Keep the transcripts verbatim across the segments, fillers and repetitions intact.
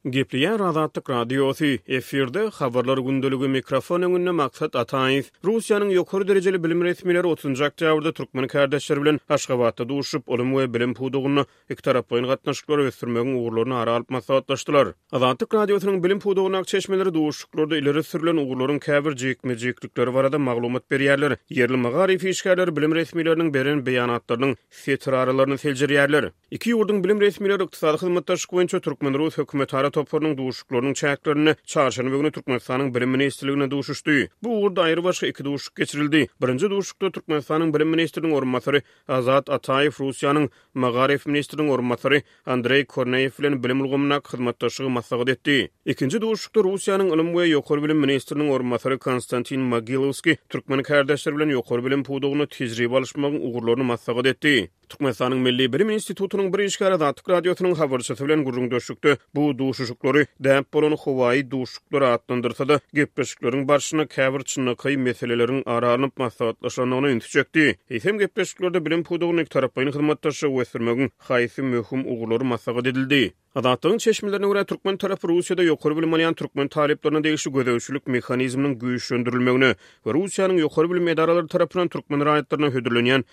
Gepleýär Azatlyk Radiosy, efirde Habarlar gündeligi, mikrofon öňünde Maksat Ataýew. Russiýanyň ýokary derejeli bilim resmileri otuzynjy oktýabrda türkmen kärdeşleri bilen Aşgabatda duşuşyp, ylym we bilim pudagynda ikitaraplaýyn gatnaşyklary ösdürmegiň ugurlaryny ara alyp maslahatlaşdylar. Azatlyk Radiosynyň bilim pudagyndaky çeşmeleri duşuşyklarda ileri sürlen ugurlaryň käbir jikme-jiklikleri barada maglumat berýärler. Ýerli magaryf işgärleri bilim resmileriniň beren beýanatlarynyň setir aralaryny seljerýärler. Iki ýurduň bilim resmileri ykdysady hyzmatdaşlyk boýunça türkmen-rus hökümetara toparynyň duşuşyklarynyň çäklerinde çarşenbe güni Türkmenistanyň Bilim ministrliginde duşuşdy. Bu ugurda aýrybaşga iki duşuşyk geçirildi. Birinji duşuşykda Türkmenistanyň Bilim ministriniň orunbasary Azat Ataýew Russiýanyň Magaryf ministriniň orunbasary Andreý Korneýew bilen bilim ulgamyndaky hyzmatdaşlygy maslahat etdi. Ikinji duşuşykda Russiýanyň Ylym we ýokary bilim ministriniň orunbasary Konstantin Mogilowskiý türkmen kärdeşleri bilen ýokary bilim pudagynda tejribe alyşmagyň ugurlaryny maslahat etdi. Türkmenistanyň Milli bilim institutynyň bir işgäri Azatlyk Radiosynyň habarçysy bilen gürrüňdeşlikde bu duşuşyklary däp bolan howaýy duşuşyklar atlandyrsa-da, gepleşikleriň barşynda käbir çynlakaý meseleleriň ara alnyp maslahatlaşylandygyna ünsi çekdi. Eýsem, gepleşiklerde bilim pudagynda ikitaraplaýyn hyzmatdaşlygy ösdürmegiň haýsy möhüm ugurlary maslahat edildi? Azatlygyň çeşmelerine görä, türkmen tarapy Russiýada ýokary bilim alýan türkmen talyplaryna degişli gözegçilik mehanizminiň güýçlendirilmegine we Russiýanyň ýokary bilim edaralary tarapyndan türkmen raýatlaryna hödürlenýän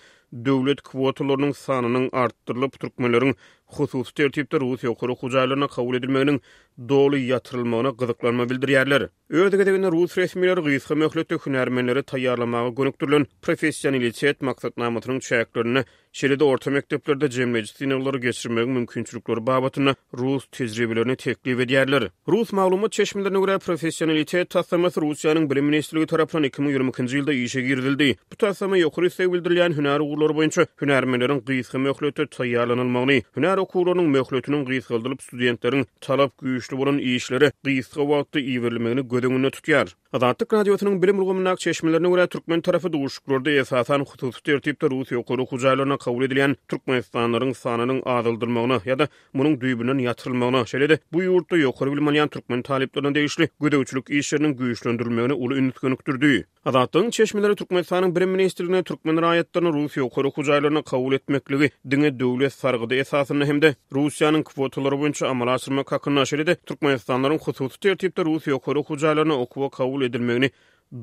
döwlet kwotalarynyň sanynyň artdyrylyp, türkmenleriň hususy tertipde rus ýokary okuw jaýlaryna kabul edilmeginiň doly ýatyrylmagyna gyzyklanma bildirýärler. Öz gezeginde rus resmileri gysga möhletde hünärmenleri taýýarlamaga gönükdirilen professionalitet maksatnamasynyň çäklerinde, şeýle-de orta mekdeplerde jemleýji synaglary geçirmegiň mümkinçilikleri babatynda rus tejribelerini teklip edýärler. Rus maglumat çeşmelerine görä, professionalitet taslamasy Russiýanyň Bilim ministrligi tarapyndan iki müň ýigrimi ikinji ýylda işe girizildi. Bu taslama ýokary isleg bildirilýän hünär ugurlary boýunça hünärmenleriň gysga möhletde taýýarlanylmagyny, hünär okuwlarynyň möhletiniň gysgaldylyp, studentleriň talap güýçli bolan işlere gysga wagtda iberilmegini göz öňünde tutýar. Azatlyk Radiosynyň bilim ulgamyndaky çeşmelerine görä, türkmen tarapy duşuşyklarda esasan hususy tertipde rus ýokary okuw jaýlaryna kabul edilýän türkmenistanlylaryň sanynyň azaldylmagyna ýa-da munuň düýbünden ýatyrylmagyna, şeýle-de bu ýurtda ýokary bilim alýan türkmen talyplaryna degişli gözegçilik işleriniň güýçlendirilmegine uly üns gönükdirdi. Azatlygyň çeşmeleri Türkmenistanyň Bilim ministrligine türkmen raýatlaryny rus ýokary okuw jaýlaryna kabul etmekligi diňe döwlet sargydy esasynda hem-de Russiýanyň kwotalary boýunça amala aşyrmak hakynda, şeýle-de türkmenistanlylaryň hususy tertipde rus ýokary okuw jaýlaryna okuwa kabul edilmegini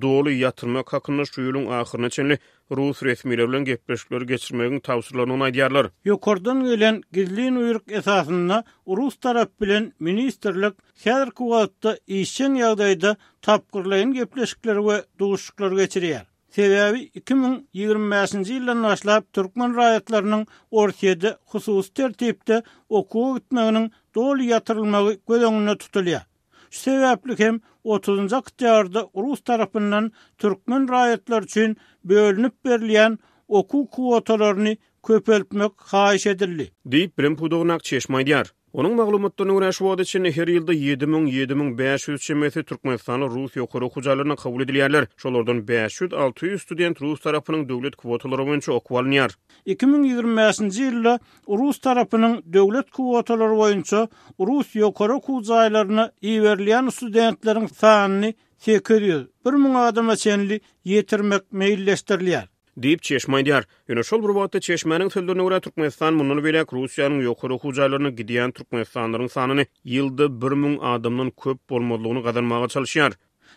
doly ýatyrmak hakynda şu ýylyň ahyryna çenli rus resmileri bilen gepleşikleri geçirmegiň tabşyrylandygyny aýdýarlar. Ýokardan gelen gizlin buýruk esasynda rus tarap bilen ministrlik häzirki wagtda işjeň ýagdaýda tapgyrlaýyn gepleşikleri we duşuşyklary geçirýär. Sebäbi iki müň ýigrimi bäşinji ýyldan başlap türkmen raýatlarynyň Orsýede hususy tertipde okuwa gitmeginiň doly ýatyrylmagy göz öňünde tutulýar. Şu sebäpli hem otuzynjy oktýabrda rus tarapyndan türkmen raýatlary üçin bölünip berilýän okuw kwotalaryny köpeltmek haýyş edildi. Diýip, bilim pudagyndaky çeşme aýdýar. Onuň maglumatlaryna görä, şu wagta çenli her ýylda ýedi müň, ýedi müň bäş ýüz çemesi türkmenistanly rus ýokary okuw jaýlaryna kabul edilýärler. Şolardan bäş ýüz, alty ýüz student rus tarapynyň döwlet kwotalary boýunça okuwa alynýar. Iki müň ýigrimi bäşinji ýylda rus tarapynyň döwlet kwotalary boýunça rus ýokary okuw jaýlaryna iberilýän studentleriň sanyny sekiz ýüz, bir müň adama çenli ýetirmek meýilleşdirilýär. Diýip, çeşme aýdýar. Ýöne şol bir wagtda çeşmäniň sözlerine görä, Türkmenistan mundan beýläk Russiýanyň ýokary okuw jaýlaryna gidýän türkmenistanlylaryň sanyny ýylda bir müň adamdan köp bolmazlygyny gazanmaga çalyşýar.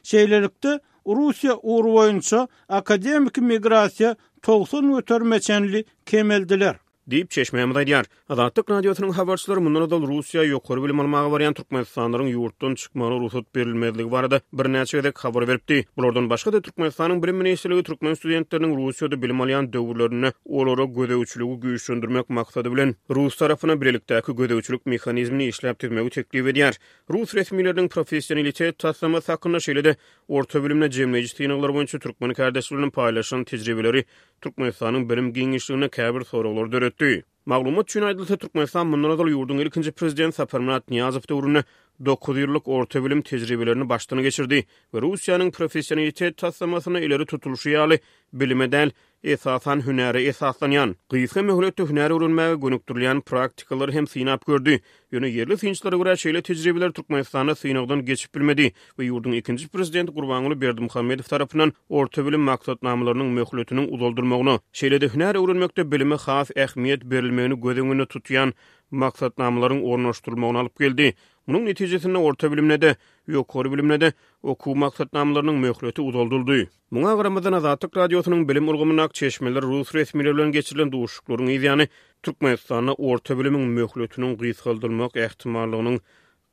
Şeýlelikde, Russiýa ugry boýunça akademiki migrasiýa togsan göterime çenli kemeldiler. Diýip, çeşmämiz aýdýar. Azatlyk Radiosynyň habarçylary mundan ozal Russiýa ýokary bilim almaga barýan türkmenistanlylaryň ýurtdan çykmagyna rugsat berilmezligi barada birnäçe gezek habar beripdi. Bulardan başga-da Türkmenistanyň Bilim ministrligi türkmen studentleriniň Russiýada bilim alýan döwürlerinde olara gözegçiligi güýçlendirmek maksady bilen rus tarapyna bilelikdäki gözegçilik mehanizmini işläp düzmegi teklip edýär. Rus resmileriniň professionalitet taslamasy hakynda, şeýle-de orta bilimde jemleýji synaglar boýunça türkmen kärdeşleri bilen paýlaşan tejribeleri Türkmenistanyň bilim giňişliginde käbir soraglary döretdi. Maglumat üçin aýdylsa, Türkmenistan mundan ozal ýurduň ilkinji prezidenti Saparmyrat Nyýazow döwründe dokuz ýyllyk orta bilim tejribelerini başdan geçirdi we Russiýanyň professionalitet taslamasyna ileri tutulyşy ýaly bilime däl, esasan hünäre esaslanýan, gysga möhletde hünär öwrenmäge gönükdirilýän praktikalary hem synap gördi. Ýöne ýerli synçylara görä, şeýle tejribeler Türkmenistanda synagdan geçip bilmedi we ýurduň ikinji prezidenti Gurbanguly Berdimuhamedow tarapyndan orta bilim maksatnamalarynyň möhletiniň uzaldylmagyna, şeýle-de hünär öwrenmekde bilime has ähmiýet berilmegini göz öňünde tutýan maksatnamalaryň ornaşdyrylmagyna alyp geldi. Munuň netijesinde orta bilimde-de, ýokary bilimde-de okuw maksatnamalarynyň möhleti uzaldyldy. Muňa garamazdan, Azatlyk Radiosynyň bilim ulgamyndaky çeşmeler rus resmileri bilen geçirilen duşuşyklaryň yzýany Türkmenistanda orta bilimiň möhletiniň gysgaldylmak ähtimallygynyň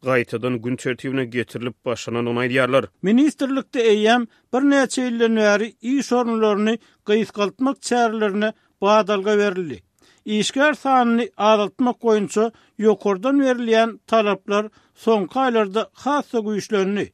gaýtadan gün tertibine getirilip başlanandygyny aýdýarlar. Ministrlikde eýýäm birnäçe ýyldan bäri iş orunlaryny gysgaltmak çärelerine badalga berildi. Işgär sanyny azaltmak boýunça ýokardan berilýän talaplar soňky aýlarda has-da güýçlendi.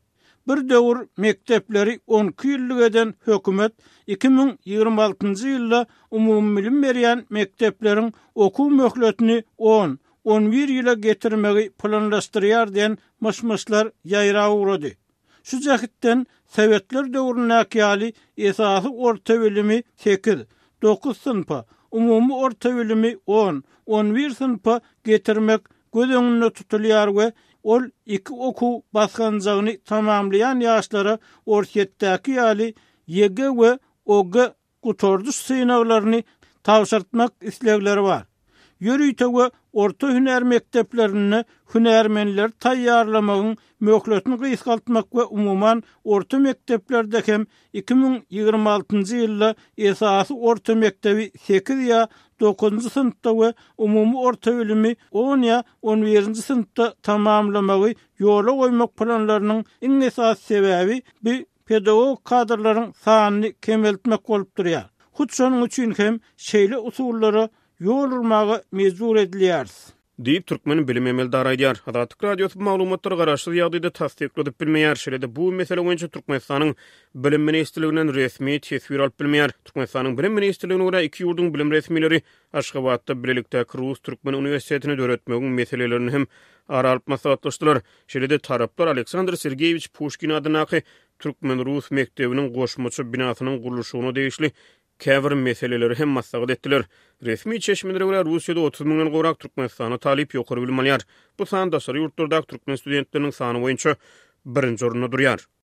Bir döwür mekdepleri on iki ýyllyk eden hökümet iki müň ýigrimi altynjy ýylda umumybilim berýän mekdepleriň okuw möhletini on, on bir ýyla getirmegi planlaşdyrýar diýen myş-myşlar ýaýrap ugrady. Şu jähtden Sowetler döwründäki ýaly esasy orta bilimi sekiz, dokuz synpa, umumy orta bilimi on, on bir synpa getirmek göz öňünde tutulýar we ol iki okuw basgançagyny tamamlaýan ýaşlara Orsýetdäki ýaly Y G we O G gutardyş synaglaryny tabşyrtmak islegleri bar. Ýörite we orta hünär mekdeplerinde hünärmenleri taýýarlamagyň möhletini gysgaltmak we umuman orta mekdeplerde hem iki müň ýigrimi altynjy ýylda esasy orta mekdebi sekiz ýa dokuzynjy synpda we umumy orta bilimi on ýa on birinji synpda tamamlamagy ýola goýmak planlarynyň iň esasy sebäbi bu pedagog kadrlaryň sanyny kemeltmek bolup durýar. Hut şonuň üçin hem şeýle usullara ýol urmaga mejbur edilýäris. Diýip, türkmen bilim emeldary aýdýar. Azatlyk Radiosy bu maglumatlary garaşsyz ýagdaýda tassykladyp bilmeýär. Şeýle-de bu mesele boýunça Türkmenistanyň Bilim ministrliginden resmi teswir alyp bilmeýär. Türkmenistanyň Bilim ministrligine görä, iki ýurduň bilim resmileri Aşgabatda bilelikdäki Rus-Türkmen uniwersitetini döretmegiň meselelerini hem ara alyp maslahatlaşdylar. Şeýle-de taraplar Aleksandr Sergeýewiç Puşkin adyndaky Türkmen-Rus mekdebiniň goşmaça binasynyň gurluşygyna degişli käbir meseleleri hem maslahat etdiler. Resmi çeşmelere görä, Russiýada otuz müňden gowrak Türkmenistanda talyp ýokary bilim alýar. Bu san daşary ýurtlardaky türkmen studentleriniň sany boýunça birinji orunda durýar.